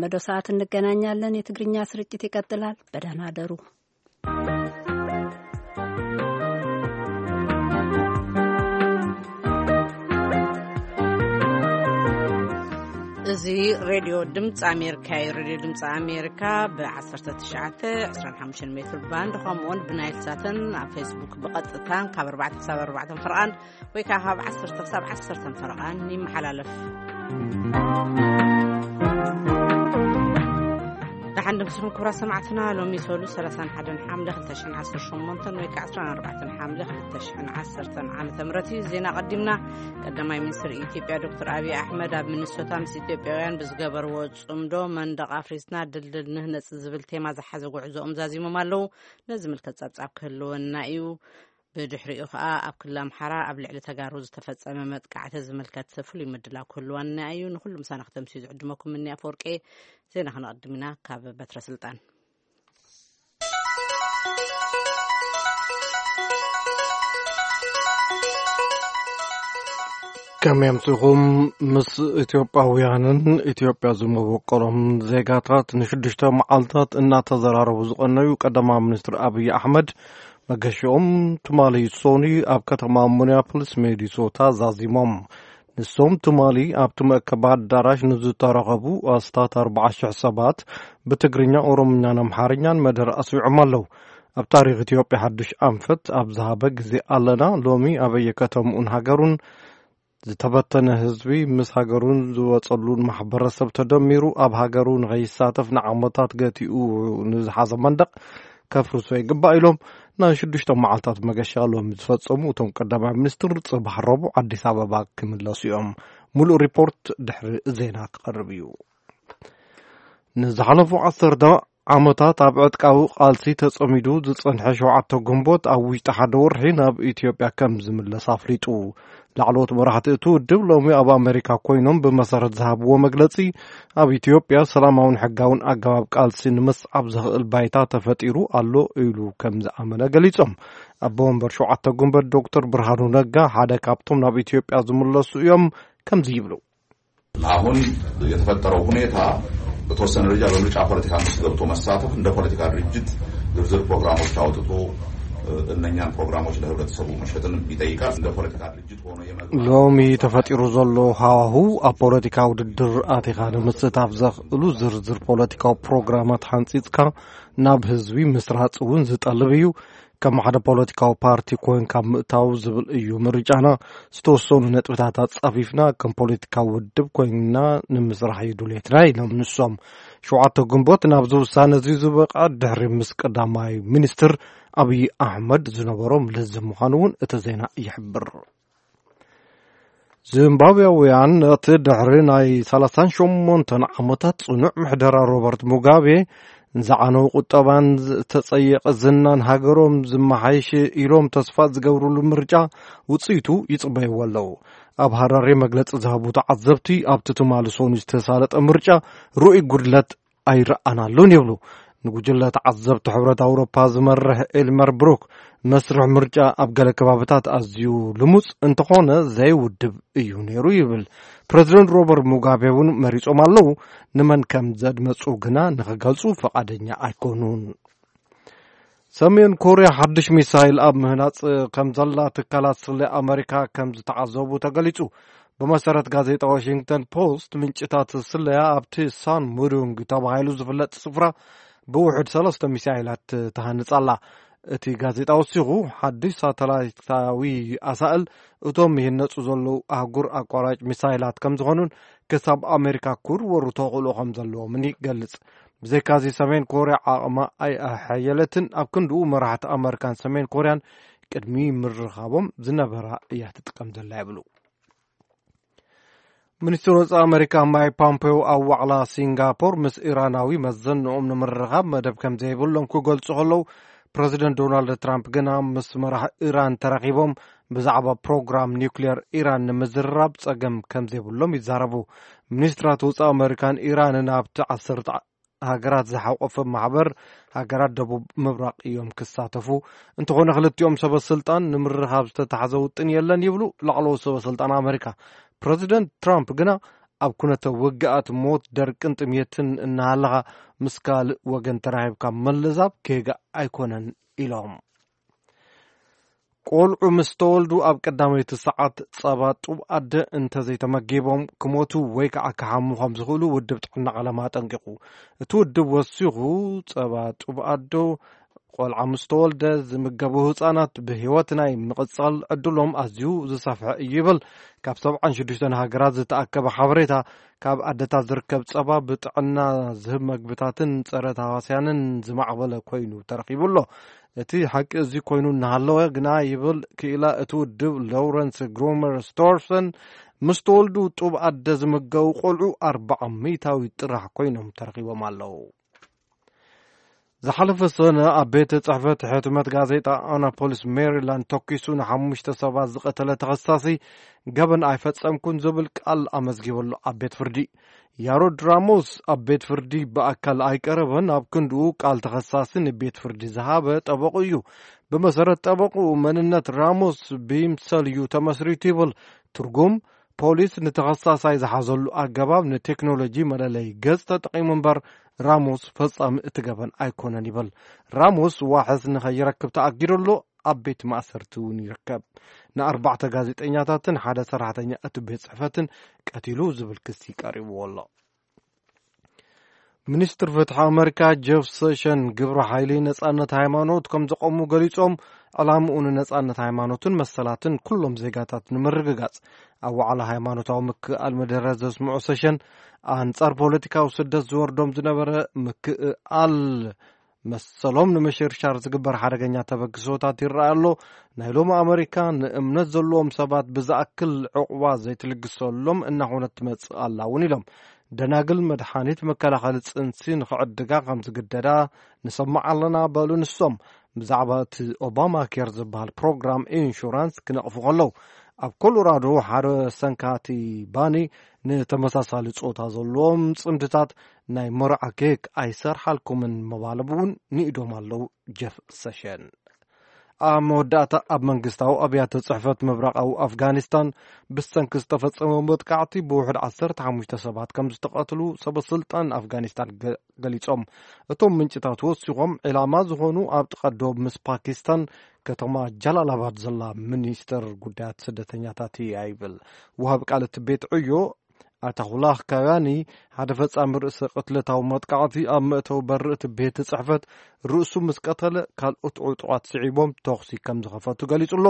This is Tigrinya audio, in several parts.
መዶ ሰዓት እንገናኛለን። የትግርኛ ስርጭት ይቀጥላል። በደህና አደሩ። እዚ ሬድዮ ድምፂ ኣሜሪካ እዩ። ሬድዮ ድምፂ ኣሜሪካ ብ19፣ 25 ሜትር ባንድ ከምኡውን ብናይል ሳትን ኣብ ፌስቡክ ብቐጥታን ካብ 4 ክሳብ 4 ፈርቓን ወይ ከዓ ካብ 10 ክሳብ 10 ፈርቓን ይመሓላለፍ። ደሓን ድምስኹም ክቡራት ሰማዕትና። ሎሚ ሰሉ 31 ሓምለ 2018 ወይ ከዓ 14 ሓምለ 2010 ዓመተ ምህረት እዩ። ዜና ቀዲምና። ቀዳማይ ሚኒስትር ኢትዮጵያ ዶክተር ኣብይ ኣሕመድ ኣብ ሚኒሶታ ምስ ኢትዮጵያውያን ብዝገበርዎ ጽምዶ መንደቕ ኣፍሪስና ድልድል ንህነጽ ዝብል ቴማ ዝሓዘ ጉዕዞኦም ዛዚሞም ኣለዉ። ነዚ ዝምልከት ጸብጻብ ክህልወና እዩ። ብድሕሪኡ ከኣ ኣብ ክልል ኣምሓራ ኣብ ልዕሊ ተጋሩ ዝተፈጸመ መጥቃዕቲ ዝምልከት ፍሉይ ምድላው ክህልወና እዩ። ንኹሉ ምሳና ክተምስዩ ዝዕድመኩም እኒ ኣፈወርቄ። ዜና ክነቐድም ኢና ካብ በትረ ስልጣን። ከመይ ኣምሲኹም? ምስ ኢትዮጵያውያንን ኢትዮጵያ ዝመበቆሎም ዜጋታት ንሽዱሽተ መዓልታት እናተዘራረቡ ዝቐነዩ ቀዳማዊ ሚኒስትር ኣብይ ኣሕመድ፣ መገሽኦም ትማሊ ሶኒ ኣብ ከተማ ሚኒያፖሊስ ሚኒሶታ ዛዚሞም። ንሶም ትማሊ ኣብቲ መእከቢ ኣዳራሽ ንዝተረኸቡ ኣስታት ኣርባዓ ሽሕ ሰባት ብትግርኛ፣ ኦሮምኛን ኣምሓርኛን መደረ ኣስዊዖም ኣለዉ። ኣብ ታሪኽ ኢትዮጵያ ሓድሽ ኣንፈት ኣብ ዝሃበ ግዜ ኣለና። ሎሚ ኣበየ ከተምኡን ሃገሩን ዝተበተነ ህዝቢ ምስ ሃገሩን ዝወጸሉን ማሕበረሰብ ተደሚሩ ኣብ ሃገሩ ንኸይሳተፍ ንዓመታት ገቲኡ ንዝሓዘ መንደቕ ከፍርሶ ይግባእ ኢሎም ናይ ሽዱሽተ መዓልታት መገሻ ሎሚ ዝፈጸሙ እቶም ቀዳማይ ሚኒስትር፣ ጽባሕ ረቡዕ ኣዲስ ኣበባ ክምለሱ እዮም። ሙሉእ ሪፖርት ድሕሪ ዜና ክቐርብ እዩ። ንዝሓለፉ ዓሰርተ ዓመታት ኣብ ዕጥቃዊ ቃልሲ ተጸሚዱ ዝጸንሐ ሸውዓተ ግንቦት ኣብ ውሽጢ ሓደ ወርሒ ናብ ኢትዮጵያ ከም ዝምለስ ኣፍሊጡ። ላዕለዎት መራሕቲ እቲ ውድብ ሎሚ ኣብ ኣሜሪካ ኮይኖም ብመሰረት ዝሃብዎ መግለጺ፣ ኣብ ኢትዮጵያ ሰላማውን ሕጋውን ኣገባብ ቃልሲ ንምስዓብ ዘኽእል ባይታ ተፈጢሩ ኣሎ ኢሉ ከም ዝኣመነ ገሊጾም። ኣቦ ወንበር ሸውዓተ ግንቦት ዶክተር ብርሃኑ ነጋ ሓደ ካብቶም ናብ ኢትዮጵያ ዝምለሱ እዮም። ከምዚ ይብሉ። አሁን የተፈጠረው ሁኔታ በተወሰነ ደረጃ በምርጫ ፖለቲካ ውስጥ ገብቶ መሳተፍ፣ እንደ ፖለቲካ ድርጅት ዝርዝር ፕሮግራሞች አውጥቶ እነኛን ፕሮግራሞች ለህብረተሰቡ መሸጥን ይጠይቃል። እንደ ፖለቲካ ድርጅት ሆኖ የመግባት ሎሚ ተፈጢሩ ዘሎ ሃዋሁ ኣብ ፖለቲካ ውድድር ኣቲኻ ንምስታፍ ዘኽእሉ ዝርዝር ፖለቲካዊ ፕሮግራማት ሓንጺጽካ ናብ ህዝቢ ምስራጽ እውን ዝጠልብ እዩ። ከም ሓደ ፖለቲካዊ ፓርቲ ኮይንካ ምእታው ዝብል እዩ ምርጫና። ዝተወሰኑ ነጥብታት ኣጻፊፍና ከም ፖለቲካዊ ውድብ ኮይንና ንምስራሕ እዩ ድሌትና ኢሎም ንሶም። ሸውዓተ ግንቦት ናብዚ ውሳነ እዚ ዝበቃ ድሕሪ ምስ ቀዳማይ ሚኒስትር ኣብይ ኣሕመድ ዝነበሮም ልዝብ ምዃኑ እውን እቲ ዜና ይሕብር። ዚምባብያውያን ነቲ ድሕሪ ናይ 38 ዓመታት ጽኑዕ ምሕደራ ሮበርት ሙጋቤ ዝዓነው ቁጠባን ዝተጸየቐ ዝናን ሃገሮም ዝመሓይሽ ኢሎም ተስፋ ዝገብሩሉ ምርጫ ውጽኢቱ ይጽበይዎ ኣለዉ። ኣብ ሃራሬ መግለጺ ዝሃቡ ተዓዘብቲ ኣብቲ ትማሊ ሶኒ ዝተሳለጠ ምርጫ ርኡይ ጉድለት ኣይረኣናሉን ይብሉ። ንጉጅለ ተዓዘብቲ ሕብረት ኣውሮፓ ዝመርሕ ኤልመር ብሩክ፣ መስርሕ ምርጫ ኣብ ገለ ከባብታት ኣዝዩ ልሙጽ እንተኾነ ዘይውድብ እዩ ነይሩ ይብል። ፕረዚደንት ሮበርት ሙጋቤ እውን መሪጾም ኣለዉ። ንመን ከም ዘድመጹ ግና ንኽገልጹ ፈቓደኛ ኣይኮኑን። ሰሜን ኮርያ ሓድሽ ሚሳይል ኣብ ምህናጽ ከም ዘላ ትካላት ስለ ኣመሪካ ከም ዝተዓዘቡ ተገሊጹ። ብመሰረት ጋዜጣ ዋሽንግተን ፖስት፣ ምንጭታት ስለያ ኣብቲ ሳን ሙዱንግ ተባሂሉ ዝፍለጥ ስፍራ ብውሕድ ሰለስተ ሚሳይላት ተሃንጻ ኣላ። እቲ ጋዜጣ ወሲኹ፣ ሓድሽ ሳተላይታዊ ኣሳእል እቶም ይህነጹ ዘለዉ ኣህጉር ኣቋራጭ ሚሳይላት ከም ዝኾኑን ክሳብ ኣሜሪካ ክውርወሩ ተኽእሎ ከም ዘለዎምን ይገልጽ። ብዘይካዚ፣ ሰሜን ኮርያ ዓቕማ ኣይኣሐየለትን። ኣብ ክንድኡ፣ መራሕቲ ኣመሪካን ሰሜን ኮርያን ቅድሚ ምርኻቦም ዝነበራ እያ ትጥቀም ዘላ ይብሉ። ሚኒስትር ወጻኢ ኣመሪካ ማይክ ፖምፔዮ ኣብ ዋዕላ ሲንጋፖር ምስ ኢራናዊ መዘንኦም ንምርኻብ መደብ ከም ዘይብሎም ክገልጹ ከለዉ፣ ፕረዚደንት ዶናልድ ትራምፕ ግና ምስ መራሒ ኢራን ተራኺቦም ብዛዕባ ፕሮግራም ኒውክሌር ኢራን ንምዝርራብ ጸገም ከም ዘይብሎም ይዛረቡ። ሚኒስትራት ወጻኢ ኣመሪካን ኢራንን ኣብቲ ዓሰርተ ሃገራት ዝሓቆፈ ማሕበር ሃገራት ደቡብ ምብራቕ እዮም ክሳተፉ። እንተኾነ ክልቲኦም ሰበ ስልጣን ንምርኻብ ዝተታሕዘ ውጥን የለን ይብሉ ላዕለዎት ሰበ ስልጣን ኣመሪካ። ፕረዚደንት ትራምፕ ግና ኣብ ኩነተ ውግኣት፣ ሞት፣ ደርቅን ጥሜትን እናሃለኻ ምስ ካልእ ወገን ተራኺብካ ምልዛብ ጌጋ ኣይኮነን ኢሎም። ቆልዑ ምስ ተወልዱ ኣብ ቀዳመይቲ ሰዓት ጸባ ጡብ ኣደ እንተዘይተመጊቦም ክሞቱ ወይ ከዓ ክሓሙ ከም ዝኽእሉ ውድብ ጥዕና ዓለም ኣጠንቂቑ። እቲ ውድብ ወሲኹ፣ ጸባ ጡብ ኣዶ ቆልዓ ምስ ተወልደ ዝምገቡ ህጻናት ብህይወት ናይ ምቕጻል ዕድሎም ኣዝዩ ዝሰፍሐ እዩ ይብል። ካብ ሰብዓን ሽዱሽተን ሃገራት ዝተኣከበ ሓበሬታ፣ ካብ ኣደታት ዝርከብ ጸባ ብጥዕና ዝህብ መግብታትን ጸረ ተሃዋስያንን ዝማዕበለ ኮይኑ ተረኺቡ ኣሎ። እቲ ሓቂ እዚ ኮይኑ እናሃለወ ግና፣ ይብል ክኢላ እቲ ውድብ ሎውረንስ ግሮመር ስቶርሰን፣ ምስ ተወልዱ ጡብ ኣደ ዝምገቡ ቆልዑ ኣርባዓ ሚእታዊት ጥራሕ ኮይኖም ተረኺቦም ኣለዉ። ዝሓለፈ ሰነ ኣብ ቤት ጽሕፈት ሕትመት ጋዜጣ ኣናፖሊስ ሜሪላንድ ተኲሱ ንሓሙሽተ ሰባት ዝቐተለ ተኸሳሲ፣ ገበን ኣይፈጸምኩን ዝብል ቃል ኣመዝጊቡ ኣሎ። ኣብ ቤት ፍርዲ፣ ያሮድ ራሞስ ኣብ ቤት ፍርዲ ብኣካል ኣይቀረበን። ኣብ ክንድኡ፣ ቃል ተኸሳሲ ንቤት ፍርዲ ዝሃበ ጠበቑ እዩ። ብመሰረት ጠበቑ፣ መንነት ራሞስ ብይምሰል እዩ ተመስሪቱ ይብል። ትርጉም፣ ፖሊስ ንተኸሳሳይ ዝሓዘሉ ኣገባብ ንቴክኖሎጂ መለለይ ገጽ ተጠቒሙ እምበር፣ ራሞስ ፈጻሚ እቲ ገበን ኣይኮነን ይብል። ራሞስ ዋሕስ ንኸይረክብ ተኣጊዱ ኣሎ። ኣብ ቤት ማእሰርቲ እውን ይርከብ። ንኣርባዕተ ጋዜጠኛታትን ሓደ ሰራሕተኛ እቲ ቤት ጽሕፈትን ቀቲሉ ዝብል ክሲ ቀሪብዎ ኣሎ። ሚኒስትር ፍትሒ ኣመሪካ ጀፍ ሰሽን፣ ግብረ ሓይሊ ነጻነት ሃይማኖት ከም ዘቆሙ ገሊጾም፣ ዕላምኡ ንነጻነት ሃይማኖትን መሰላትን ኩሎም ዜጋታት ንምርግጋጽ፣ ኣብ ዋዕላ ሃይማኖታዊ ምክእኣል መደረ ዘስምዑ ሰሽን፣ ኣንጻር ፖለቲካዊ ስደት ዝወርዶም ዝነበረ ምክእኣል መሰሎም ንምሽርሻር ዝግበር ሓደገኛ ተበግሶታት ይረኣ ኣሎ። ናይ ሎሚ ኣመሪካ ንእምነት ዘለዎም ሰባት ብዝኣክል ዕቑባ ዘይትልግሰሎም እናኾነት ትመጽእ ኣላ እውን ኢሎም። ደናግል መድሓኒት መከላኸሊ ጽንሲ ንኽዕድጋ ከም ዝግደዳ ንሰማዕ ኣለና በሉ ንሶም። ብዛዕባ እቲ ኦባማ ኬር ዝበሃል ፕሮግራም ኢንሹራንስ ክነቕፉ ከለዉ፣ ኣብ ኮሎራዶ ሓደ ሰንካቲ ባኒ ንተመሳሳሊ ጾታ ዘለዎም ጽምድታት ናይ መርዓ ኬክ ኣይሰርሓልኩምን ምባሎም እውን ንኢዶም ኣለዉ። ጀፍ ሰሸን። ኣብ መወዳእታ፣ ኣብ መንግስታዊ ኣብያተ ጽሕፈት ምብራቓዊ ኣፍጋኒስታን ብሰንኪ ዝተፈጸመ መጥቃዕቲ ብውሕድ ዓሰርተ ሓሙሽተ ሰባት ከም ዝተቐትሉ ሰበ ስልጣን ኣፍጋኒስታን ገ-፣ ገሊጾም። እቶም ምንጭታት ወሲኾም፣ ዒላማ ዝኾኑ ኣብ ጥቓ ዶብ ምስ ፓኪስታን ከተማ ጃላላባድ ዘላ ሚኒስተር ጉዳያት ስደተኛታት እያ ይብል። ወሃቢ ቃል እቲ ቤት ዕዮ ኣታኹላህ ካጋኒ፣ ሓደ ፈጻሚ ርእሰ ቅትለታዊ መጥቃዕቲ ኣብ መእተዊ በሪ እቲ ቤት ጽሕፈት ርእሱ ምስ ቀተለ፣ ካልኦት ዕጡቓት ስዒቦም ተኹሲ ከም ዝኸፈቱ ገሊጹ ኣሎ።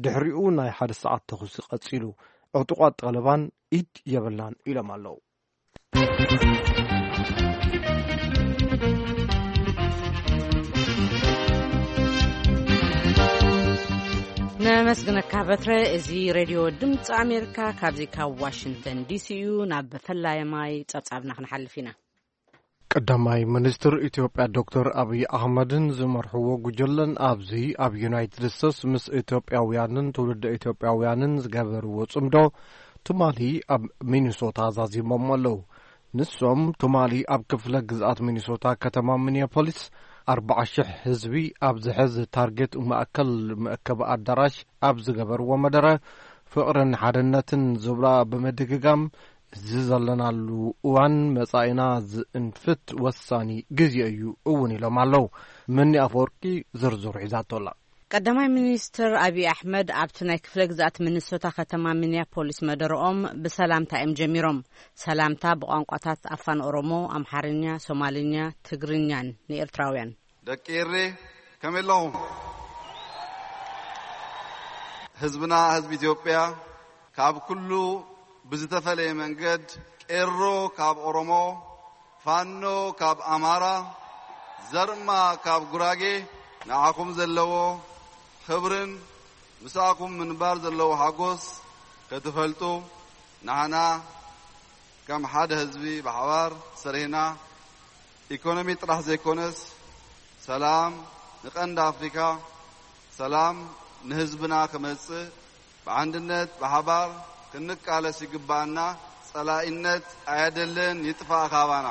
ድሕሪኡ ናይ ሓደ ሰዓት ተኹሲ ቀጺሉ። ዕጡቓት ጣልባን ኢድ የብልናን ኢሎም ኣለዉ። ነመስግነካ በትረ። እዚ ሬድዮ ድምፂ ኣሜሪካ ካብዚ ካብ ዋሽንግተን ዲሲ እዩ። ናብ ፈላማይ ጸብጻብና ክንሓልፍ ኢና። ቀዳማይ ሚኒስትር ኢትዮጵያ ዶክተር ኣብይ ኣሕመድን ዝመርሕዎ ጉጅለን ኣብዚ ኣብ ዩናይትድ ስቴትስ ምስ ኢትዮጵያውያንን ትውልደ ኢትዮጵያውያንን ዝገበርዎ ጽምዶ ትማሊ ኣብ ሚኒሶታ ዛዚሞም ኣለዉ። ንሶም ትማሊ ኣብ ክፍለ ግዝኣት ሚኒሶታ ከተማ ሚኒያፖሊስ ኣርባዓ ሽሕ ህዝቢ ኣብ ዝሕዝ ታርጌት ማእከል መእከቢ ኣዳራሽ ኣብ ዝገበርዎ መደረ፣ ፍቕርን ሓድነትን ዝብላ ብምድግጋም፣ እዚ ዘለናሉ እዋን መጻኢና ዝእንፍት ወሳኒ ግዜ እዩ እውን ኢሎም ኣለዉ። መኒ ኣፈወርቂ ዝርዝሩ ሒዛቶ ኣላ። ቀዳማይ ሚኒስትር ኣብይ ኣሕመድ ኣብቲ ናይ ክፍለ ግዝኣት ሚኒሶታ ከተማ ሚኒያፖሊስ መደረኦም ብሰላምታ እዮም ጀሚሮም። ሰላምታ ብቋንቋታት ኣፋን ኦሮሞ፣ ኣምሓርኛ፣ ሶማልኛ፣ ትግርኛን ንኤርትራውያን። ደቂ ኤሬ ከመይ ኣለኹም? ህዝብና ህዝቢ ኢትዮጵያ ካብ ኩሉ ብዝተፈለየ መንገድ፣ ቄሮ ካብ ኦሮሞ፣ ፋኖ ካብ ኣማራ፣ ዘርማ ካብ ጉራጌ ንዓኹም ዘለዎ ክብርን ምሳኹም ምንባር ዘለዎ ሓጎስ ክትፈልጡ፣ ንዓና ከም ሓደ ህዝቢ ብሓባር ሰሪሕና ኢኮኖሚ ጥራሕ ዘይኮነስ ሰላም ንቀንዲ ኣፍሪካ፣ ሰላም ንህዝብና ክመጽእ ብዓንድነት ብሓባር ክንቃለስ ይግባኣና። ጸላኢነት ኣየድልን፣ ይጥፋእ ካባና።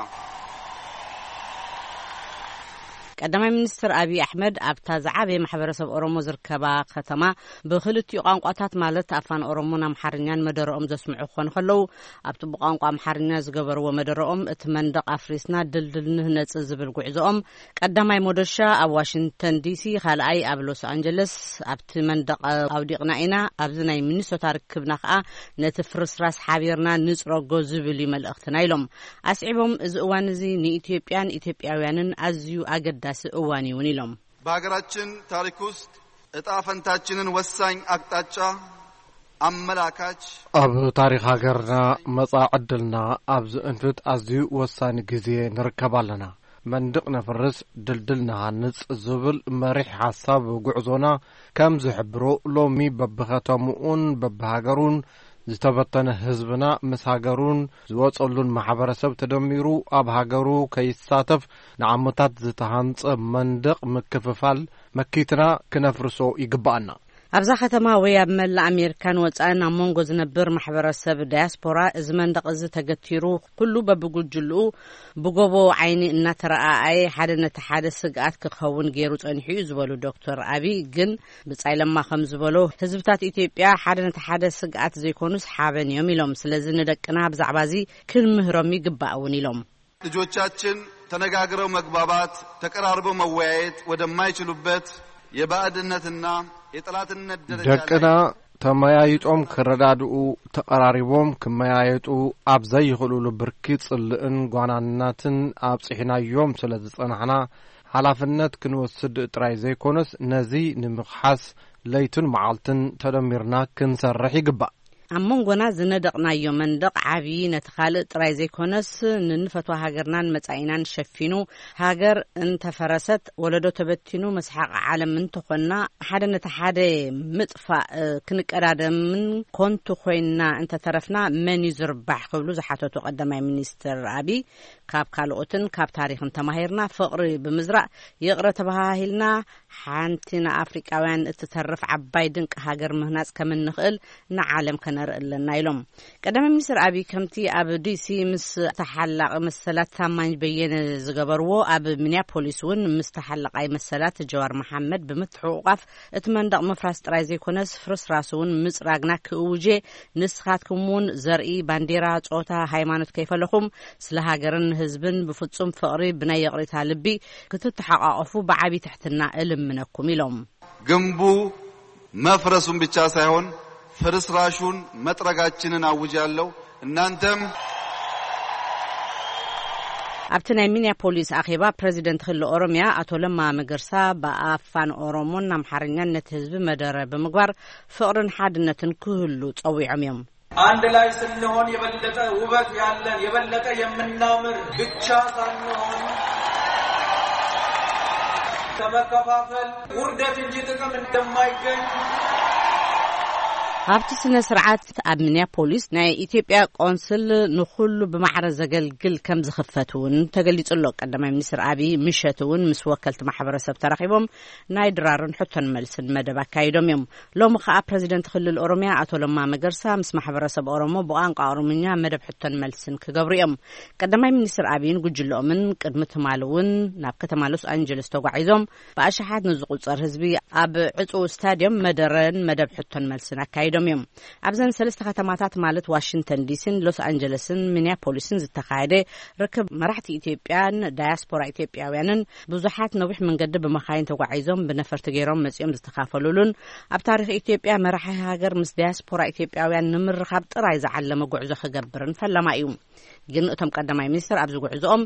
ቀዳማይ ሚኒስትር ኣብይ ኣሕመድ ኣብታ ዝዓበየ ማሕበረሰብ ኦሮሞ ዝርከባ ከተማ ብክልቲኡ ቋንቋታት ማለት ኣፋን ኦሮሞን ኣምሓርኛን መደረኦም ዘስምዑ ክኾኑ ከለዉ፣ ኣብቲ ብቋንቋ ኣምሓርኛ ዝገበርዎ መደረኦም፣ እቲ መንደቕ ኣፍሪስና ድልድል ንህነጽ ዝብል ጉዕዞኦም፣ ቀዳማይ ሞደሻ ኣብ ዋሽንግተን ዲሲ፣ ካልኣይ ኣብ ሎስ ኣንጀለስ፣ ኣብቲ መንደቕ ኣውዲቕና ኢና፣ ኣብዚ ናይ ሚኒሶታ ርክብና ከኣ ነቲ ፍርስራስ ሓቢርና ንጽረጎ ዝብል እዩ መልእኽትና ኢሎም። ኣስዒቦም፣ እዚ እዋን እዚ ንኢትዮጵያን ኢትዮጵያውያንን ኣዝዩ ኣገዳሲ እዋን እዩ እውን ኢሎም። በሀገራችን ታሪክ ውስጥ እጣ ፈንታችንን ወሳኝ አቅጣጫ አመላካች ኣብ ታሪኽ ሃገርና መጻኢ ዕድልና ኣብ ዝእንፍት ኣዝዩ ወሳኒ ግዜ ንርከብ ኣለና። መንድቕ ነፍርስ፣ ድልድል ንሃንጽ ዝብል መሪሕ ሓሳብ ጉዕዞና ከም ዝሕብሮ፣ ሎሚ በብኸተምኡን በብሃገሩን ዝተበተነ ህዝብና ምስ ሃገሩን ዝወጸሉን ማሕበረሰብ ተደሚሩ ኣብ ሃገሩ ከይሳተፍ ንዓመታት ዝተሃንጸ መንደቕ ምክፍፋል መኪትና ክነፍርሶ ይግብኣና። ኣብዛ ከተማ ወይ ኣብ መላእ ኣሜሪካን ወጻእን ኣብ መንጎ ዝነብር ማሕበረሰብ ዳያስፖራ እዚ መንደቕ እዚ ተገቲሩ፣ ኩሉ በብጉጅልኡ ብጎቦ ዓይኒ እናተረኣኣየ ሓደ ነቲ ሓደ ስግኣት ክኸውን ገይሩ ጸኒሑ እዩ ዝበሉ ዶክተር ኣቢይ፣ ግን ብጻይ ለማ ከም ዝበሎ፣ ህዝብታት ኢትዮጵያ ሓደ ነቲ ሓደ ስግኣት ዘይኮኑስ ሓበን እዮም ኢሎም። ስለዚ ንደቅና ብዛዕባ እዚ ክንምህሮም ይግባእ እውን ኢሎም። ልጆቻችን ተነጋግረው መግባባት፣ ተቀራርበው መወያየት ወደማይችሉበት የባዕድነትና የጠላትነት ደረጃ ላይ ደቅና ተመያይጦም ክረዳድኡ፣ ተቐራሪቦም ክመያየጡ ኣብ ዘይኽእሉሉ ብርኪ ጽልእን ጓናናትን ኣብጺሕናዮም ስለ ዝጸናሕና፣ ሓላፍነት ክንወስድ ጥራይ ዘይኮነስ፣ ነዚ ንምኽሓስ ለይትን መዓልትን ተደሚርና ክንሰርሕ ይግባእ። ኣብ መንጎና ዝነደቕናዮ መንደቕ ዓብዪ፣ ነቲ ካልእ ጥራይ ዘይኮነስ፣ ንንፈትዋ ሃገርናን መጻኢናን ሸፊኑ፣ ሃገር እንተፈረሰት፣ ወለዶ ተበቲኑ፣ መስሓቕ ዓለም እንተኾንና፣ ሓደ ነቲ ሓደ ምጥፋእ ክንቀዳደምን ኮንቱ ኮይንና እንተተረፍና፣ መን እዩ ዝርባሕ ክብሉ ዝሓተቱ ቀዳማይ ሚኒስትር ኣቢይ፣ ካብ ካልኦትን ካብ ታሪኽን ተማሂርና፣ ፍቕሪ ብምዝራእ፣ ይቕረ ተበሃሂልና፣ ሓንቲ ንኣፍሪቃውያን እትተርፍ ዓባይ ድንቂ ሃገር ምህናጽ ከም እንኽእል ንዓለም ከነርኢ ኣለና ኢሎም። ቀዳማይ ሚኒስትር ኣቢይ ከምቲ ኣብ ዲሲ ምስ ተሓላቒ መሰላት ታማኝ በየነ ዝገበርዎ፣ ኣብ ሚኒያፖሊስ እውን ምስ ተሓላቓይ መሰላት ጀዋር መሓመድ ብምትሕቑቋፍ፣ እቲ መንደቕ ምፍራስ ጥራይ ዘይኮነስ ፍርስራስ እውን ምጽራግና ክእውጄ፣ ንስኻትኩም እውን ዘርኢ፣ ባንዴራ፣ ጾታ፣ ሃይማኖት ከይፈለኹም ስለ ሃገርን ህዝብን ብፍጹም ፍቕሪ ብናይ ይቕሬታ ልቢ ክትተሓቋቐፉ ብዓቢ ትሕትና እልምነኩም ኢሎም። ግንቡ መፍረሱን ብቻ ሳይሆን ፍርስራሹን መጥረጋችንን አውጃለሁ። እናንተም ኣብቲ ናይ ሚኒያፖሊስ ኣኼባ ፕረዚደንት ክልል ኦሮሚያ ኣቶ ለማ መገርሳ ብኣፋን ኦሮሞን ኣምሓርኛን ነቲ ህዝቢ መደረ ብምግባር ፍቕርን ሓድነትን ክህሉ ጸዊዖም እዮም። አንድ ላይ ስንሆን የበለጠ ውበት ያለን፣ የበለጠ የምናምር ብቻ ሳንሆን ከመከፋፈል ውርደት እንጂ ጥቅም እንደማይገኝ ኣብቲ ስነ ስርዓት ኣብ ሚኒያፖሊስ ናይ ኢትዮጵያ ቆንስል ንኹሉ ብማዕረ ዘገልግል ከም ዝኽፈት እውን ተገሊጹ ኣሎ። ቀዳማይ ሚኒስትር ኣቢይ ምሸት እውን ምስ ወከልቲ ማሕበረሰብ ተራኺቦም ናይ ድራርን ሕቶን መልስን መደብ ኣካይዶም እዮም። ሎሚ ኸኣ ፕረዚደንት ክልል ኦሮሚያ ኣቶ ለማ መገርሳ ምስ ማሕበረሰብ ኦሮሞ ብቋንቋ ኦሮምኛ መደብ ሕቶን መልስን ክገብሩ እዮም። ቀዳማይ ሚኒስትር ኣቢይን ጉጅለኦምን ቅድሚ ትማሊ እውን ናብ ከተማ ሎስ ኣንጀለስ ተጓዒዞም ብኣሽሓት ንዝቑጸር ህዝቢ ኣብ ዕጹው ስታድዮም መደረን መደብ ሕቶን መልስን ኣካይዶም እዮም። ኣብዘን ሰለስተ ከተማታት ማለት ዋሽንግተን ዲሲን ሎስ ኣንጀለስን ሚኒያፖሊስን ዝተኻየደ ርክብ መራሕቲ ኢትዮጵያን ዳያስፖራ ኢትዮጵያውያንን ብዙሓት ነዊሕ መንገዲ ብመኻይን ተጓዒዞም ብነፈርቲ ገይሮም መጺኦም ዝተኻፈሉሉን ኣብ ታሪኽ ኢትዮጵያ መራሒ ሃገር ምስ ዳያስፖራ ኢትዮጵያውያን ንምርኻብ ጥራይ ዝዓለመ ጉዕዞ ክገብርን ፈለማ እዩ። ግን እቶም ቀዳማይ ሚኒስትር ኣብዚ ጉዕዞኦም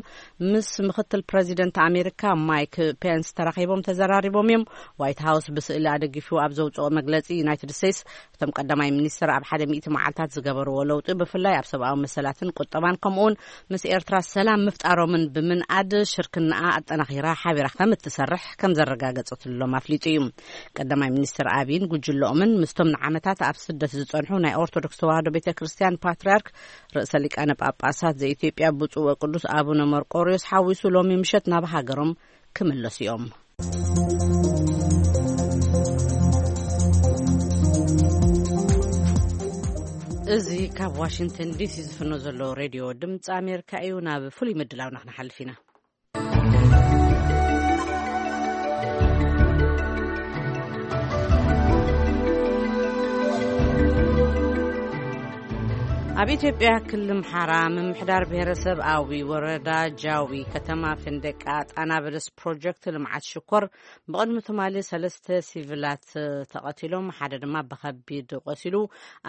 ምስ ምክትል ፕረዚደንት ኣሜሪካ ማይክ ፔንስ ተራኺቦም ተዘራሪቦም እዮም። ዋይት ሃውስ ብስእሊ ኣደጊፉ ኣብ ዘውፅኦ መግለፂ፣ ዩናይትድ ስቴትስ እቶም ቀዳማይ ሚኒስትር ኣብ ሓደ ሚእቲ መዓልታት ዝገበርዎ ለውጢ፣ ብፍላይ ኣብ ሰብኣዊ መሰላትን ቁጠባን ከምኡውን ምስ ኤርትራ ሰላም ምፍጣሮምን ብምንኣድ ሽርክናኣ ኣጠናኺራ ሓቢራ ከም እትሰርሕ ከም ዘረጋገጸትሎም ኣፍሊጡ እዩ። ቀዳማይ ሚኒስትር ኣቢይን ጉጅለኦምን ምስቶም ንዓመታት ኣብ ስደት ዝጸንሑ ናይ ኦርቶዶክስ ተዋህዶ ቤተ ክርስቲያን ፓትርያርክ ርእሰ ሊቃነ ጳጳሳት ዘኢትዮጵያ ብፁዕ ወቅዱስ ኣቡነ መርቆሪዎስ ሓዊሱ ሎሚ ምሸት ናብ ሃገሮም ክምለሱ እዮም። እዚ ካብ ዋሽንግተን ዲሲ ዝፍኖ ዘሎ ሬድዮ ድምፂ ኣሜሪካ እዩ። ናብ ፍሉይ ምድላውና ክንሓልፍ ኢና። ኣብ ኢትዮጵያ ክልል ኣምሓራ ምምሕዳር ብሔረሰብ ኣዊ ወረዳ ጃዊ ከተማ ፍንደቃ ጣና በለስ ፕሮጀክት ልምዓት ሽኮር ብቕድሚ ትማሊ ሰለስተ ሲቪላት ተቐቲሎም፣ ሓደ ድማ ብኸቢድ ቆሲሉ፣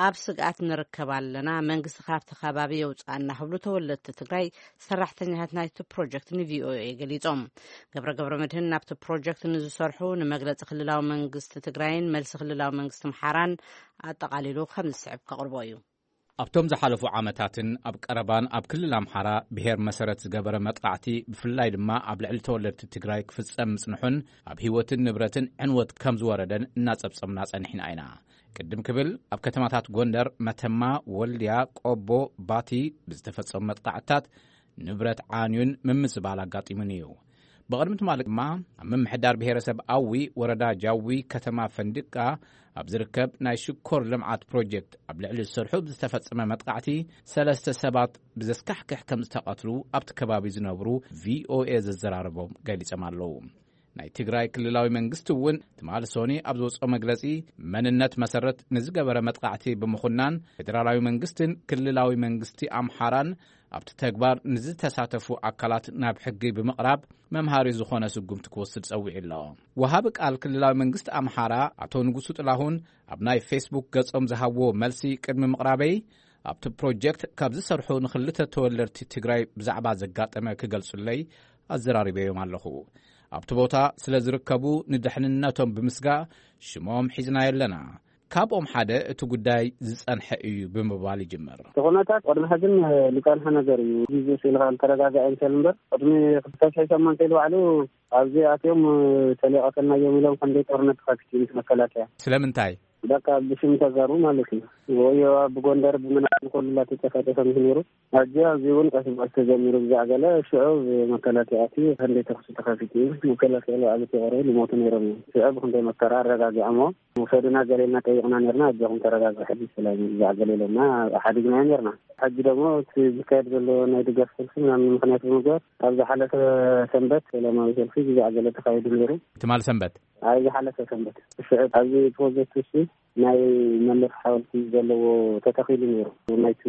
ኣብ ስግኣት ንርከብ ኣለና፣ መንግስቲ ካብቲ ከባቢ የውፅኣና ክብሉ ተወለድቲ ትግራይ ሰራሕተኛታት ናይቲ ፕሮጀክት ንቪኦኤ ገሊፆም። ገብረ ገብረ መድህን ናብቲ ፕሮጀክት ንዝሰርሑ ንመግለፂ ክልላዊ መንግስቲ ትግራይን መልሲ ክልላዊ መንግስቲ ኣምሓራን ኣጠቓሊሉ ከም ዝስዕብ ከቕርቦ እዩ። ኣብቶም ዝሓለፉ ዓመታትን ኣብ ቀረባን ኣብ ክልል ኣምሓራ ብሔር መሰረት ዝገበረ መጥቃዕቲ ብፍላይ ድማ ኣብ ልዕሊ ተወለድቲ ትግራይ ክፍጸም ምጽንሑን ኣብ ህይወትን ንብረትን ዕንወት ከም ዝወረደን እናጸብጸምና ጸኒሕና ኢና። ቅድም ክብል ኣብ ከተማታት ጎንደር፣ መተማ፣ ወልድያ፣ ቆቦ፣ ባቲ ብዝተፈጸሙ መጥቃዕትታት ንብረት ዓንዩን ምምዝባል ኣጋጢሙን እዩ። ብቕድሚ ትማሊ ድማ ኣብ ምምሕዳር ብሔረሰብ ኣዊ ወረዳ ጃዊ ከተማ ፈንድቃ ኣብ ዝርከብ ናይ ሽኮር ልምዓት ፕሮጀክት ኣብ ልዕሊ ዝሰርሑ ብዝተፈጸመ መጥቃዕቲ ሰለስተ ሰባት ብዘስካሕክሕ ከም ዝተቐትሉ ኣብቲ ከባቢ ዝነብሩ ቪኦኤ ዘዘራረቦም ገሊጾም ኣለዉ። ናይ ትግራይ ክልላዊ መንግስቲ እውን ትማሊ ሶኒ ኣብ ዝወፅኦ መግለፂ፣ መንነት መሰረት ንዝገበረ መጥቃዕቲ ብምኹናን ፌደራላዊ መንግስትን ክልላዊ መንግስቲ ኣምሓራን ኣብቲ ተግባር ንዝተሳተፉ ኣካላት ናብ ሕጊ ብምቕራብ መምሃሪ ዝኾነ ስጉምቲ ክወስድ ጸዊዑ ኣሎ። ወሃቢ ቃል ክልላዊ መንግስቲ ኣምሓራ ኣቶ ንጉሱ ጥላሁን ኣብ ናይ ፌስቡክ ገጾም ዝሃብዎ መልሲ ቅድሚ ምቕራበይ፣ ኣብቲ ፕሮጀክት ካብ ዝሰርሑ ንኽልተ ተወለድቲ ትግራይ ብዛዕባ ዘጋጠመ ክገልጹለይ ኣዘራሪበዮም ኣለኹ። ኣብቲ ቦታ ስለ ዝርከቡ ንድሕንነቶም ብምስጋእ ሽሞም ሒዝናዮ ኣለና። ካብኦም ሓደ እቲ ጉዳይ ዝጸንሐ እዩ ብምባል ይጅምር። እቲ ኩነታት ቅድሚ ሕዝን ዝጸንሐ ነገር እዩ። ግዜ ስኢልካ ዝተረጋግዐ ይምሰል እምበር፣ ቅድሚ ክልተ ሽሕ ሸሞንተ ኢሉ ባዕሉ ኣብዚ ኣትዮም ተሊቐተልናዮም ኢሎም ከምዘይ ጦርነት ተኸፊቱ ምስ መከላከያ። ስለምንታይ? በቃ ብሽም ተጋሩ ማለት እዩ። ወዮ ብጎንደር ብምናምን ኩሉ እናተጨፈጨፈ ምስ ነይሩ፣ ሕጂ ኣብዚ እውን ቀስ ብቐስ ተጀሚሩ ብዛዕ ገለ ሽዑ ብመከላከያ ኣትዩ ክንደይ ተኹሲ ተኸፊቱ እዩ። መከላከያ ባዕሉ ተቐርቡ ልሞቱ ነይሮም እዮም። ሽዑ ብክንደይ መከራ ኣረጋጊዖሞ ውሰዱና ገሌና ጠይቕና ነርና፣ ኣጆኹም ተረጋግዑ፣ ሕጂ ሰላም እዩ፣ ብዛዕ ገለ ኢሎምና ሓዲግናዮ ነርና። ሕጂ ደግሞ እቲ ዝካየድ ዘሎ ናይ ድጋፍ ሰልፊ ምናምን ምኽንያት ብምግባር ኣብ ዝሓለፈ ሰንበት ሰላማዊ ሰልፊ ብዛዕ ገለ ተኻይዱ ነይሩ። ትማል ሰንበት? ኣብ ዝሓለፈ ሰንበት ሽዑ ኣብዚ ፕሮጀክት ውስጥ ናይ መለስ ሓወልቲ ዘለዎ ተተኺሉ ነይሩ። ናይቲ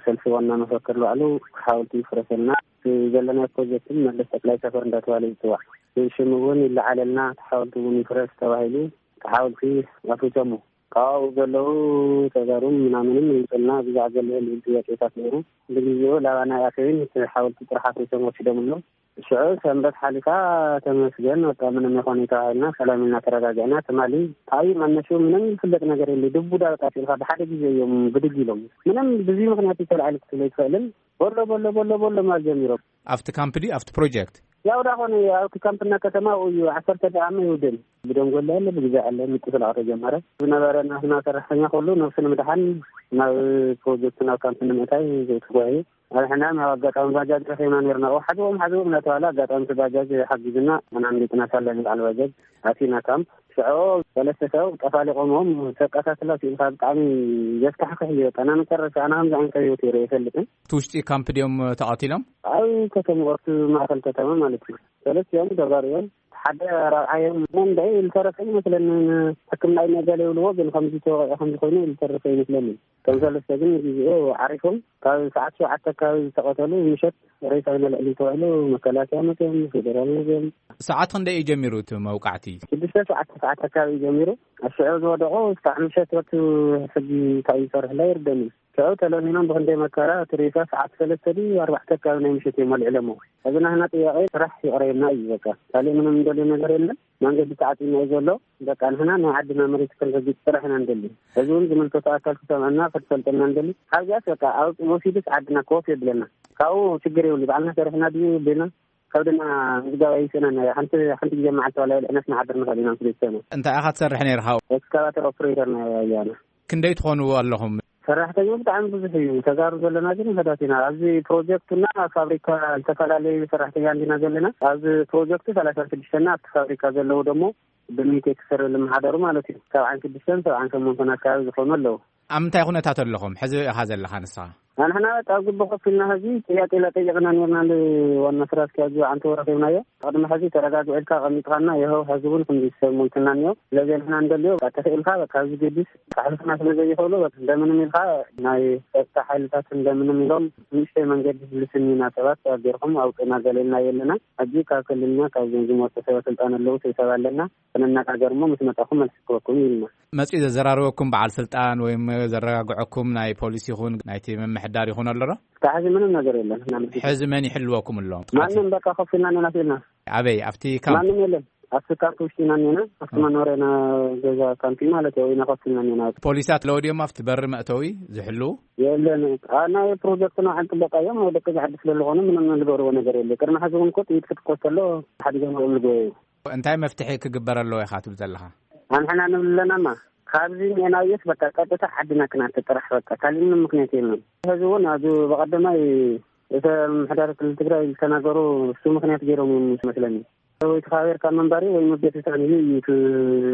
ሰልፊ ዋና መፈክር ባዕሉ ሓወልቲ ይፍረሰልና፣ እቲ ዘለናዮ ፕሮጀክትን መለስ ጠቅላይ ሰፈር እንዳተባለ ዝፅዋዕ ሽም እውን ይለዓለልና፣ እቲ ሓወልቲ እውን ይፍረስ ተባሂሉ እቲ ሓወልቲ ኣፍሪሶሞ። ካብኡ ዘለዉ ተጋሩን ምናምንን ይምፅልና ብዛዕ ዘለየ ልብል ጥያቄታት ነይሩ። ብግዜኡ ላባና ኣተይን እቲ ሓወልቲ ጥራሕ ኣፍሪሶም ወሲዶምሎም። ሽዑ ሰንበት ሓሊፋ ተመስገን፣ በቃ ምንም ይኾን እዩ ተባሂልና፣ ሰላም ኢልና ተረጋጊዕና። ትማሊ ታዩ መነሹ ምንም ዝፍለጥ ነገር የለ። ድቡዳ በቃ ሲልካ ብሓደ ግዜ እዮም ብድግ ኢሎም። ምንም ብዙይ ምኽንያት ተላዒሉ ክትብል ኣይትኽእልን። ቦሎ፣ ቦሎ፣ ቦሎ፣ ቦሎ ማል ጀሚሮም። ኣብቲ ካምፕ ድዩ ኣብቲ ፕሮጀክት? ያው ዳኾነ ኣብቲ ካምፕና ከተማ እዩ፣ ዓሰርተ ደቂቃ ይውድን። ብደንጎላ ኣለ፣ ብግዜ ኣለ፣ ምጥፍላቕ ተጀመረ። ዝነበረ ናትና ሰራሕተኛ ኩሉ ነብሱ ንምድሓን ናብ ፕሮጀክት ናብ ካምፕ ንምእታይ ተጓዩ። ኣብ ሕና ኣብ ኣጋጣሚ ባጃጅ ረኺብና ነርና። ኦ፣ ሓዝዎም፣ ሓዝዎም እናተባለ ኣጋጣሚ እቲ ባጃጅ ሓጊዝና፣ ኣና ኣምሊጥና ሳለን በዓል ባጃጅ ኣቲና ካምፕ። ሽዑ ሰለስተ ሰብ ጠፋሊቖሞም ተቀሳስላ ሲኢልካ ብጣዕሚ ዘስካሕክሕ እዩ። በቃ፣ እና መጨረሻ ኣና ከምዚ ዓይነት ህይወት ይረ ይፈልጥን። እቲ ውሽጢ ካምፕ ድዮም ተቐቲሎም? ኣብ ከተማ፣ ኣብቲ ማእከል ከተማ ማለት እዩ። ሰለስቲኦም ተጋሩ እዮም። ሓደ ራብዓዮም መንደይ ዝተረፈ ይመስለኒ። ሕክምና እዩ ነገለ ይብልዎ፣ ግን ከምዚ ተወቂዑ ከምዚ ኮይኑ ዝተረፈ ይመስለኒ። ከም ሰለስተ ግን ግዜኡ ዓሪፎም፣ ካብ ሰዓት ሸውዓተ ኣካባቢ ዝተቐተሉ፣ ምሸት ሬሳ ኢና ልዕሊ ተባሂሉ መከላከያ መፅዮም፣ ፌደራል መፅዮም። ሰዓት ክንደይ እዩ ጀሚሩ እቲ መውቃዕቲ? ሽዱሽተ ሸውዓተ ሰዓት ኣካባቢ እዩ ጀሚሩ። ኣብ ሽዑ ዝወደቑ እስካዕ ምሸት ወቱ ሕጂ እንታይ ይሰርሕላ ይርደኒ። ሽዑ ተለሚኖም ብክንደይ መከራ እቲ ሬሳ ሰዓት ሰለስተ ድዩ ኣርባዕተ ኣካባቢ ናይ ምሸት እዮም ኣልዒሎሞ። ሕዚ ናህና ጥያቄ ስራሕ ይቕረየልና እዩ በቃ። ካሊእ ምንም እንደልዮ ነገር የለን። መንገዲ ተዓፂና እዩ ዘሎ። በቃ ንሕና ናይ ዓድና መሬት ክንረግፅ ጥራሕ ኢና ንደሊ። ሕዚ እውን ዝምልከቶ ኣካል ክሰምዐና ክትፈልጠና ንደሊ። ካብዚኣስ በቃ ኣብ ወሲዱስ ዓድና ክወፍ የብለና። ካብኡ ችግር የብሉ። ባዕልና ሰሪሕና ድዩ ብልና ከብድና ምዝጋብ ኣይስእነና። ሓንቲ፣ ሓንቲ ግዜ መዓልቲ ዋላ የልዕነስ ንሓድር ንኽእል ኢና ምስ ቤተሰብና። እንታይ ኢኻ ትሰርሕ ነይርኻ? ኤክስካቫተር ኦፕሬተር ናይ ኣያና። ክንደይ ትኾኑ ኣለኹም? ሰራሕተኛ ብጣዕሚ ብዙሕ እዩ። ተጋሩ ዘለና ግን ውሑዳት ኢና። ኣብዚ ፕሮጀክትና ፋብሪካ ዝተፈላለዩ ሰራሕተኛ እንዲና ዘለና። ኣብዚ ፕሮጀክቱ ሰላሳ ሽዱሽተ እና ኣብቲ ፋብሪካ ዘለዉ ደሞ ብሚቴክ ስር ልመሓደሩ ማለት እዩ። ሰብዓን ሽዱሽተን ሰብዓን ሸሞንተን ኣካባቢ ዝኾኑ ኣለዉ። ኣብ ምንታይ ኩነታት ኣለኹም? ሕዚ ኢኻ ዘለኻ ንስኻ? ኣንሕና በቃ ኣብ ግቢ ኮፍ ኢልና ሕዚ ጥያቄ ላጠየቅና ነርና ንዋና ስራ ኣስኪያጁ ኣንተ ወረኺብናዮ። ቅድሚ ሕዚ ተረጋግዑ ኢልካ ቀሚጥኻና ይኸው ሕዚ እውን ክንዲ ሰብ ሞይትና እኒኦ። ስለዚ ንሕና እንደልዮ በቃ ተኽኢልካ በቃ ኣብዚ ገዲስ ካሕልፍና ስለ ዘይኽእሉ በቃ እንደምንም ኢልካ ናይ ጸጥታ ሓይልታት እንደምንም ኢሎም ንእሽተይ መንገዲ ዝልስን ኢና ሰባት ጌርኩም ኣውፅእና ገሌልና የለና። ሕጂ ካብ ክልልና ካብ ዞም ዝመፁ ሰበ ስልጣን ኣለዉ ሰብ ኣለና። ክንነጋገር እሞ ምስ መጻኹም መልሲ ክበኩም ኢልና። መጺኡ ዘዘራረበኩም በዓል ስልጣን ወይም ዘረጋግዐኩም ናይ ፖሊስ ይኹን ናይቲ ምምሕዳር ይኹን ኣሎ ዶ? እስካብ ሕዚ ምንም ነገር የለን። ሕዚ መን ይሕልወኩም ኣሎ? ማንም በቃ ኮፍ ኢልና ነናት ኢልና። ኣበይ? ኣብቲ ካምፕ? ማንም የለን። ኣብቲ ካምፕ ውሽጢ ኢና እኒና። ኣብቲ መኖርያና ገዛ ካምፕ ማለት እዩ። ኢና ኮፍ ኢልና እኒና። ፖሊሳት ኣለዉ ድዮም ኣብቲ በሪ መእተዊ ዝሕልዉ? የለን። አ፣ ናይ ፕሮጀክትና ዓን ጥበቃ እዮም። ወደ ቀዛ ዓዲ ስለ ዝኾኑ ምንም ዝገብርዎ ነገር የለ። ቅድሚ ሕዚ እውን እኮ ጥይት ክትኮስ ከሎ ሓዲጎም እዮም ዝጎየዩ። እንታይ መፍትሒ ክግበር ኣለዎ ኢኻ ትብል ዘለኻ? ኣንሕና ንብል ኣለናማ፣ ካብዚ ሜናውየስ በቃ ቀጥታ ዓድና ክናተ ጥራሕ በቃ፣ ካልእ ምንም ምኽንያት የለን። ሕዚ እውን ኣብዚ ብቐደማይ እተ ምምሕዳር ክልል ትግራይ ዝተናገሩ እሱ ምኽንያት ገይሮም እዮም ዝመስለኒ። ወይ ተኻቢርካ ምንባሪ ወይ ምቤት ስልጣን እዩ እዩ እቲ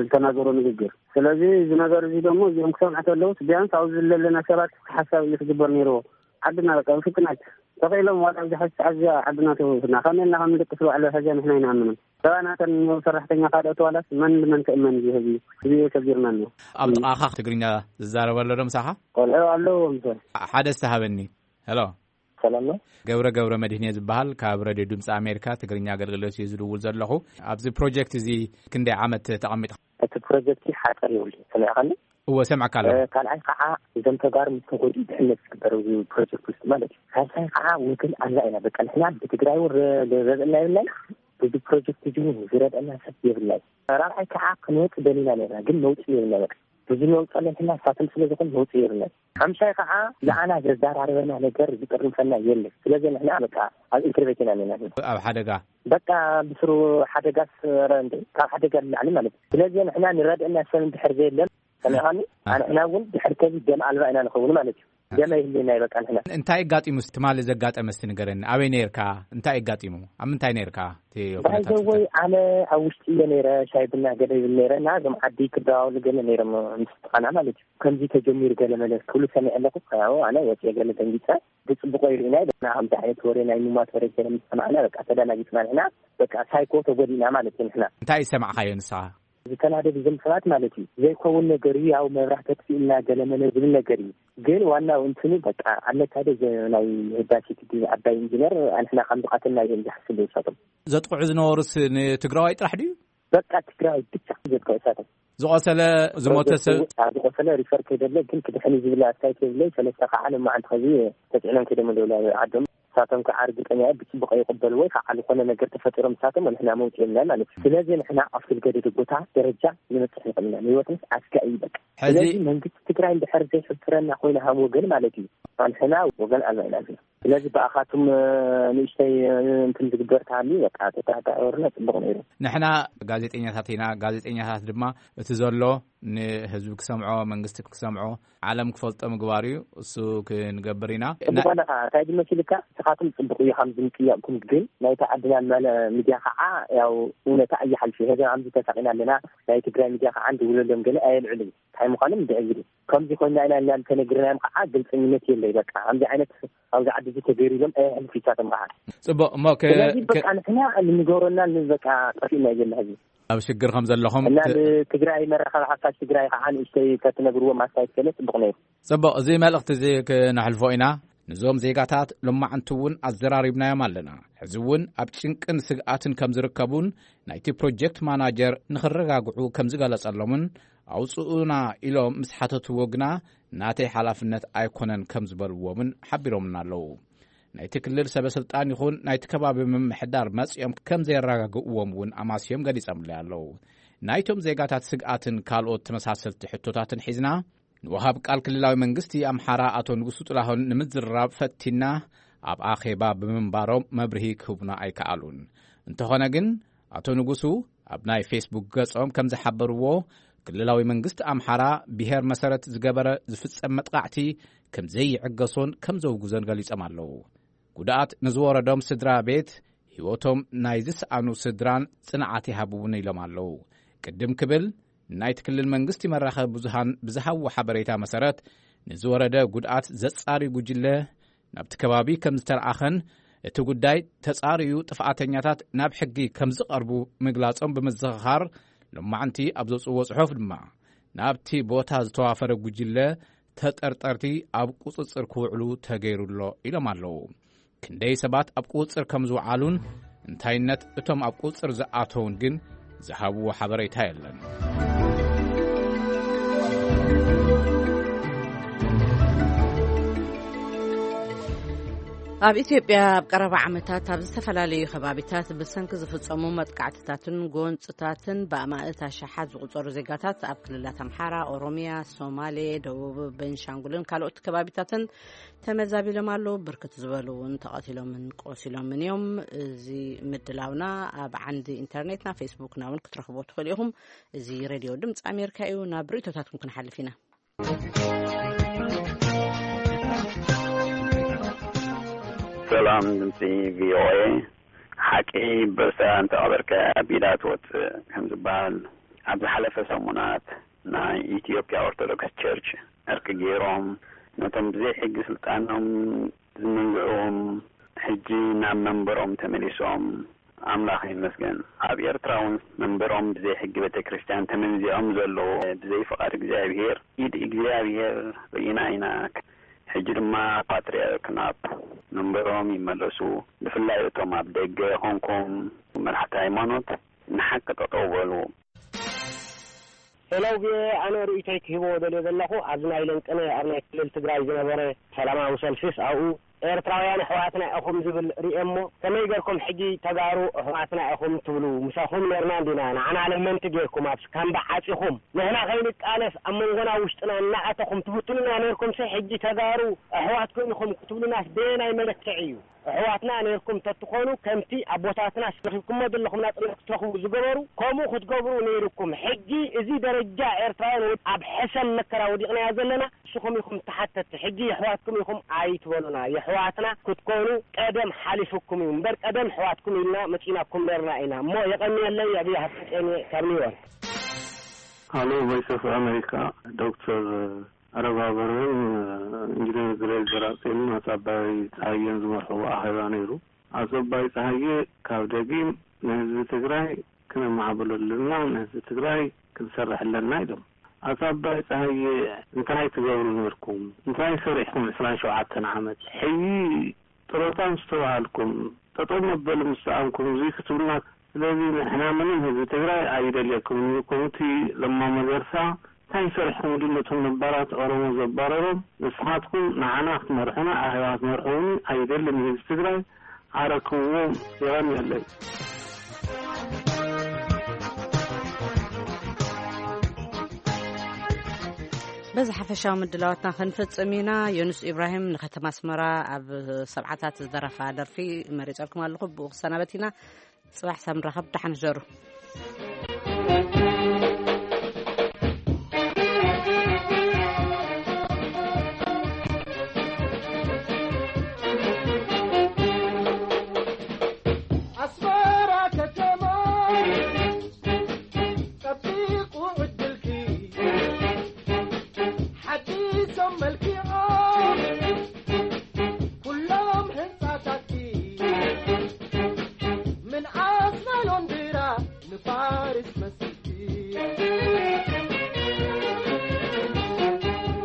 ዝተናገሮ ንግግር። ስለዚ እዚ ነገር እዚ ደግሞ እዚኦም ክሰምዑ ከለውስ ቢያንስ ኣብዚ ዘለና ሰባት ሓሳብ እዩ ክግበር ነይርዎ። ዓድና በቃ ብፍጥነት ተኽኢሎም ዋላ ኣብዚ ሓዚ ሰዓት እዚኣ ዓድና ተወስና ከመይ ኢልና ከም ንደቅስ ባዕሉ ሕዚ ንሕና ኣይንኣምንን። ሰብኣናተን ሰራሕተኛ ካልኦት ዋላስ መን ንመን ክእመን እዩ ህዝቢ? እዚ እዩ ከቢርና ኣሎ። ኣብ ጥቓኻ ትግርኛ ዝዛረብ ኣሎ ዶ ምሳኻ? ቆልዑ ኣለዎ ምሰ ሓደ ዝተሃበኒ። ሄሎ። ሰላም ነው። ገብረ ገብረ መድህን እየ ዝበሃል። ካብ ሬድዮ ድምፂ ኣሜሪካ ትግርኛ ኣገልግሎት እየ ዝድውል ዘለኹ። ኣብዚ ፕሮጀክት እዚ ክንደይ ዓመት ተቐሚጥካ? እቲ ፕሮጀክት ሓፀር ይብሉ ሰሚዕካኒ? እወ፣ ሰምዕካ ኣለኹ። እ፣ ካልኣይ ከዓ እዞም ተጋሩ ምስ ተጎድኡ ድሕነት ዝግበር ኣብዚ ፕሮጀክት ውስጥ ማለት እዩ። ሳልሳይ ከዓ ወገን ኣልባ ኢና። በቃ ንሕና ብትግራይ እውን ረ-፣ ረድእና የብልናን፣ በዚ ፕሮጀክት እዚ እውን ዝረድእና ሰብ የብልናን። ራብዓይ ከዓ ክንወፅ ደሊና ነርና፣ ግን መውፅኢ የብልና። በቃ ብዙ መውፅእ ኣለና፣ ንሳቶም ስለ ዝኾን መውፅኢ የብልና። ሓምሻይ ከዓ ንዓና ዘዘራርበና ነገር ዝጥርንፈና የለን። ስለዚ ንሕና በቃ ኣብ ኢንተርቬት ኢና ኣለና። ኣብ ሓደጋ? በቃ ብስሩ ሓደጋስ፣ ኧረ እንዴ፣ ካብ ሓደጋ ንላዕሊ ማለት እዩ። ስለዚ ንሕና ንረድእና ሰብ እንድሕር ዘየለን፣ ሰሚዕካኒ? አ። ንሕና እውን ድሕር ከዚ ደም ኣልባ ኢና ንኸውን ማለት እዩ። ደም ኣይህልየና እዩ በቃ ንሕና። እንታይ ኣጋጢሙ? ትማሊ ዘጋጠመ እስቲ ንገረኒ። ኣበይ ነይርካ? እንታይ ኣጋጢሙ? ኣብ ምንታይ ነይርካ? እቲ ኩነታት ባይዘወይ እንታይ? ኣነ ኣብ ውሽጢ እየ ነይረ፣ ሻይ ቡና ገለ ይብል ነይረ እና እዞም ዓዲ ክደዋወሉ ገለ ነይሮም ምስ ጥቓና ማለት እዩ። ከምዚ ተጀሚሩ ገለ መለ ክብሉ ሰሚዐ ኣለኹ። ያው ኣነ ወፂአ ገለ ደንጊፀ። ብፅቡቆ ይርኢና ኢና። ከምዚ ዓይነት ወረ ናይ ምሟት ወረ ገለ ምስ ሰማዕና በቃ ተደናጊፅና ንሕና። በቃ ሳይኮ ተጎዲእና ማለት እዩ ንሕና። እንታይ ዝሰማዕካዮ ንስኻ? ዝተናደዱ እዞም ሰባት ማለት እዩ። ዘይከውን ነገር እዩ፣ ያው መብራህቲ ኣጥፊእና ገለ መለ ዝብል ነገር እዩ። ግን ዋናው እንትኑ በቃ ኣለካ ዶ፣ እዚ ናይ ህዳሴ ግድብ ዓባይ ኢንጂነር ኣንሕና ከም ዝቐተልና እዮም ዝሓስቡ ንሳቶም። ዘጥቕዑ ዝነበሩስ ንትግራዋይ ጥራሕ ድዩ? በቃ ትግራዋይ ብቻ ዘጥቅዑ ንሳቶም። ዝቆሰለ ዝሞተ ሰብ? ዝቆሰለ ሪፈር ከይደለ ግን ክድሕን ዝብል ኣስተያየት የብለይ። ሰለስተ ከዓ ንመዓልቲ ከዚ ተፅዕኖም ከይዶም ኣለዉ ዓዶም። ንሳቶም ከዓ ርግጠኛ እየ ብፅቡቅ ይቅበልዎ ወይ ከዓ ዝኾነ ነገር ተፈጢሮም ንሳቶም ንሕና መውፅእ የብልና ማለት እዩ። ስለዚ ንሕና ኣብ ዝተገደደ ቦታ ደረጃ ንበፅሕ ንኽእል ኢና። ንህይወትንስ ኣስጋኢ እዩ በቃ። ሕዚ ስለዚ መንግስቲ ትግራይ እንድሕር ዘይሕፍረና ኮይና ሃም ወገን ማለት እዩ፣ ንሕና ወገን ኣልባ ኢና። ስለዚ ብኣኻቱም ንእሽተይ እንትን ዝግበር ተሃልዩ በቃ ተተሓታወርና ፅቡቅ ነይሩ። ንሕና ጋዜጠኛታት ኢና። ጋዜጠኛታት ድማ እቲ ዘሎ ንህዝቢ ክሰምዖ፣ መንግስቲ ክሰምዖ፣ ዓለም ክፈልጦ ምግባር እዩ። እሱ ክንገብር ኢና። ጽቡቕ ኣለኻ። እንታይ ድመሲልካ? ንስኻትኩም ጽቡቕ እዩ፣ ከምዚ ምጥያቕኩም፣ ግን ናይታ ዓድና መለ-፣ ሚድያ ኸዓ ያው እውነታ እያ ሓልፊ። ሕዚ ከምዚ ተሳቒና ኣለና። ናይ ትግራይ ሚድያ ኸዓ እንድውለሎም ገለ ኣየልዕልን። እንታይ ምዃኖም እንድዕግል። ከምዚ ኮይና ኢና ኢልና እንተነግርናዮም ኸዓ ግልጽኝነት የለይ። በቃ ከምዚ ዓይነት ኣብዚ ዓዲ እዚ ተገይሩ ኢሎም ኣየሕልፉ ይሳቶም ኸዓ። ጽቡቕ እሞ ከ-፣ ስለዚ ከ-፣ በቃ ንሕና እንገብረና ን-፣ በቃ ጠፊእና እዩ ዘሎ ሕዚ። ኣብ ሽግር ከም ዘለኹም እና ት-፣ ንትግራይ መራኸቢ ሓፋሽ ትግራይ ኸዓ ንእሽተይ ተትነግርዎም ኣስተያየት ገለ ጽቡቕ ነይሩ። ጽቡቕ፣ እዚ መልእኽቲ እዚ ክነሕልፎ ኢና። ንዞም ዜጋታት ሎማዕንቲ እውን ኣዘራሪብናዮም ኣለና። ሕዚ እውን ኣብ ጭንቅን ስግኣትን ከም ዝርከቡን ናይቲ ፕሮጀክት ማናጀር ንኽረጋግዑ ከም ዝገለጸሎምን ኣውጽኡና ኢሎም ምስ ሓተትዎ ግና ናተይ ሓላፍነት ኣይኮነን ከም ዝበልዎምን ሓቢሮምና ኣለዉ። ናይቲ ክልል ሰበ ስልጣን ይኹን ናይቲ ከባቢ ምምሕዳር መጺኦም ከም ዘየረጋግእዎም እውን ኣማስዮም ገሊጾምለይ ኣለዉ። ናይቶም ዜጋታት ስግኣትን ካልኦት ተመሳሰልቲ ሕቶታትን ሒዝና ንወሃብ ቃል ክልላዊ መንግስቲ ኣምሓራ ኣቶ ንጉሱ ጥላሁን ንምዝርራብ ፈቲና ኣብ ኣኼባ ብምንባሮም መብርሂ ክህቡና ኣይከኣሉን። እንተኾነ ግን ኣቶ ንጉሱ ኣብ ናይ ፌስቡክ ገጾም ከም ዝሓበርዎ ክልላዊ መንግስቲ ኣምሓራ ብሄር መሰረት ዝገበረ ዝፍጸም መጥቃዕቲ ከም ዘይዕገሶን ከም ዘውግዞን ገሊጾም ኣለዉ። ጉድኣት ንዝወረዶም ስድራ ቤት፣ ህይወቶም ናይ ዝሰኣኑ ስድራን ጽንዓት ይሃብውን ኢሎም ኣለዉ። ቅድም ክብል ናይቲ ክልል መንግስቲ መራኸቢ ብዙሃን ብዝሃብዎ ሓበሬታ መሰረት ንዝወረደ ጉድኣት ዘጻሪ ጉጅለ ናብቲ ከባቢ ከም ዝተለኣኸን እቲ ጉዳይ ተጻርዩ ጥፍኣተኛታት ናብ ሕጊ ከም ዝቐርቡ ምግላጾም ብምዝኽኻር፣ ሎማዕንቲ ኣብ ዘውጽእዎ ጽሑፍ ድማ ናብቲ ቦታ ዝተዋፈረ ጉጅለ ተጠርጠርቲ ኣብ ቁጽጽር ክውዕሉ ተገይሩ ኣሎ ኢሎም ኣለዉ። ክንደይ ሰባት ኣብ ቁጽጽር ከም ዝወዓሉን እንታይነት እቶም ኣብ ቁጽጽር ዝኣተውን ግን ዝሃብዎ ሓበሬታ የለን። ኣብ ኢትዮጵያ ኣብ ቀረባ ዓመታት ኣብ ዝተፈላለዩ ከባቢታት ብሰንኪ ዝፍጸሙ መጥቃዕትታትን ጎንጽታትን ብኣማእት ኣሽሓት ዝቑጸሩ ዜጋታት ኣብ ክልላት ኣምሓራ፣ ኦሮሚያ፣ ሶማሌ፣ ደቡብ፣ ቤንሻንጉልን ካልኦት ከባቢታትን ተመዛቢሎም ኣለዉ። ብርክት ዝበሉ እውን ተቐቲሎምን ቆሲሎምን እዮም። እዚ ምድላውና ኣብ ዓንዲ ኢንተርኔትና ፌስቡክና እውን ክትረኽቦ ትኽእሉ ኢኹም። እዚ ሬድዮ ድምፂ ኣሜሪካ እዩ። ናብ ርእይቶታትኩም ክንሓልፍ ኢና። ሰላም ድምፂ ቪኦኤ። ሓቂ በሳ እንተቐበርከ ኣብ ኢዳ ትወፅእ ከም ዝበሃል፣ ኣብ ዝሓለፈ ሰሙናት ናይ ኢትዮጵያ ኦርቶዶክስ ቸርች ዕርቂ ገይሮም ነቶም ብዘይ ሕጊ ስልጣኖም ዝመንዝዑዎም ሕጂ ናብ መንበሮም ተመሊሶም ኣምላኽ ይመስገን። ኣብ ኤርትራ እውን መንበሮም ብዘይ ሕጊ ቤተ ክርስቲያን ተመንዚዖም ዘለዉ ብዘይ ፍቓድ እግዚኣብሔር፣ ኢድ እግዚኣብሔር ርኢና ኢና። ሕጂ ድማ ፓትርያርክ ናብ መንበሮም ይመለሱ። ብፍላይ እቶም ኣብ ደገ ኾንኩም መራሕቲ ሃይማኖት ንሓቂ ጠጠው በሉ። ሄሎ ቪኦኤ፣ ኣነ ርእይቶይ ክህቦ ደልየ ዘለኹ ኣብዚ ናይ ለንቅነ ኣብ ናይ ክልል ትግራይ ዝነበረ ሰላማዊ ሰልፊስ ኣብኡ ኤርትራውያን ኣሕዋትና ኢኹም ዝብል ርእየ እሞ ከመይ ገርኩም ሕጂ ተጋሩ ኣሕዋትና ኢኹም ትብሉ? ምሳኹም ነርና እንዲና ንዓና ለመንቲ ገርኩም ኣብ ካምባ ዓጺኹም ንሕና ከይንቃለስ ኣብ መንጎና ውሽጥና እናኣተኹም ትፍትኑና ነርኩምሲ ሕጂ ተጋሩ ኣሕዋትኩም ኢኹም ክትብሉናስ በየናይ መለክዕ እዩ? ኣሕዋትና ነርኩም ተትኾኑ ከምቲ ኣቦታትና ረኺብኩሞ ዘለኹም ናጽነት ክትረኽቡ ዝገበሩ ከምኡ ክትገብሩ ነይርኩም። ሕጂ እዚ ደረጃ ኤርትራውያን ኣብ ሕሰም መከራ ወዲቕናያ ዘለና ንስኹም ኢኹም ተሓተቲ። ሕጂ የሕዋትኩም ኢኹም ኣይትበሉና። የሕዋትና ክትኮኑ ቀደም ሓሊፉኩም እዩ እምበር ቀደም ኣሕዋትኩም ኢልና መጺናኩም ነርና ኢና። እሞ የቐንየለይ። ኣብይ ሃብተጼን እየ ካብ ኒውዮርክ። ሃሎ ቮይስ ኦፍ ኣሜሪካ። ዶክተር ኣረባበረን ኢንጂነር ግሬግ በራቅቴንን ኣቶ ኣባይ ፀሃየን ዝመርሕዎ ኣኼባ ነይሩ። ኣቶ ኣባይ ፀሃየ ካብ ደጊም ንህዝቢ ትግራይ ክነማዕብሎ ኣለና፣ ንህዝቢ ትግራይ ክንሰርሕ ኣለና ኢሎም። ኣቶ ኣባይ ፀሃየ እንታይ ትገብሩ ነርኩም? እንታይ ሰሪሕኩም ዕስራን ሸውዓተን ዓመት? ሕይ ጥሮታ ምስ ተባሃልኩም ጠጠው መበሊ ምስ ሰኣንኩም እዙይ ክትብሉና። ስለዚ ንሕና ምንም ህዝቢ ትግራይ ኣይደልየኩምን እዩ። ከምቲ ለማ መገርሳ እንታይ ሰሪሕኩም ኢሉ ነቶም ነባራት ኦሮሞ ዘባረሮም ንስኻትኩም ንዓና ክትመርሑና ኣኼባ ክትመርሑ እውን ኣይደልን ህዝቢ ትግራይ። ኣረክብዎም። የቐንየለይ። በዚ ሓፈሻዊ ምድላዋትና ክንፍጽም ኢና። ዮኑስ ኢብራሂም ንከተማ ኣስመራ ኣብ ሰብዓታት ዝደረፋ ደርፊ መሪጸልኩም ኣለኹ። ብኡ ክሰናበት ኢና። ጽባሕ ሳብ ንራኸብ። ደሓን ሕደሩ። ኣስመራ ከተማ ጸቢቑ ዕድልኪ ሓዲሶም መልኪዖም ኩሎም ህንጻታትኪ ምንኣስ ናይ ሎንድራ ንፓሪስ መስልኪ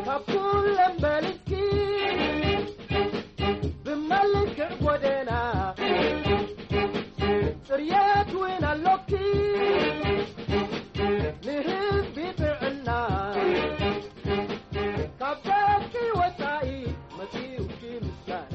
ካብ ኩለን በሊጽኪ ብመልክዕ ጎደና ጽርየት እውን ኣሎኪ ንህዝቢ ጥዕና ካብ ደቂ ወጻኢ መጺኡኪ ምስጋና።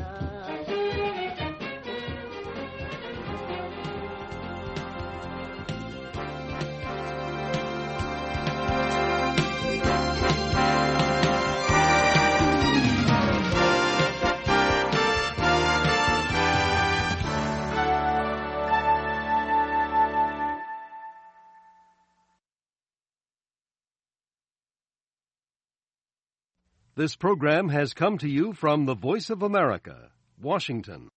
This program has come to you from the Voice of America, Washington.